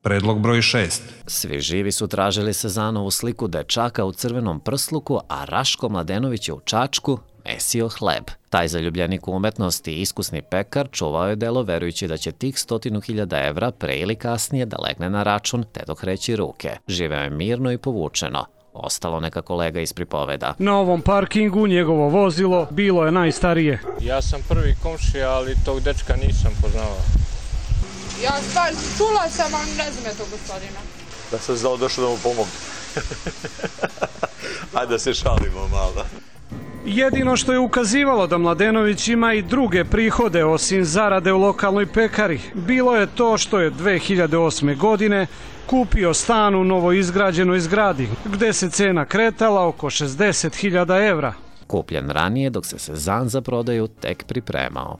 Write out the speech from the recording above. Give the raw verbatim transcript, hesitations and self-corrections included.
Predlog broj šest. Svi živi su tražili Sezanovu sliku dečaka u crvenom prsluku, a Raško Mladenović je u Čačku mesio hleb. Taj zaljubljenik u umetnosti i iskusni pekar čuvao je delo verujući da će tih stotinu hiljada evra pre ili kasnije da legne na račun te dok kreći ruke. Živeo je mirno i povučeno. Ostalo neka kolega iz pripoveda. Na ovom parkingu njegovo vozilo bilo je najstarije. Ja sam prvi komšija, ali tog dečka nisam poznavao. Ja stvar čula sam, ali ne znam je tog gospodina. Da sam znao došao da mu pomogu. Ajde da se šalimo malo. Jedino što je ukazivalo da Mladenović ima i druge prihode osim zarade u lokalnoj pekari, bilo je to što je dve hiljade osme. godine kupio stan u novoizgrađenoj zgradi, gde se cena kretala oko šezdeset hiljada evra. Kupljen ranije dok se Sezan za prodaju tek pripremao.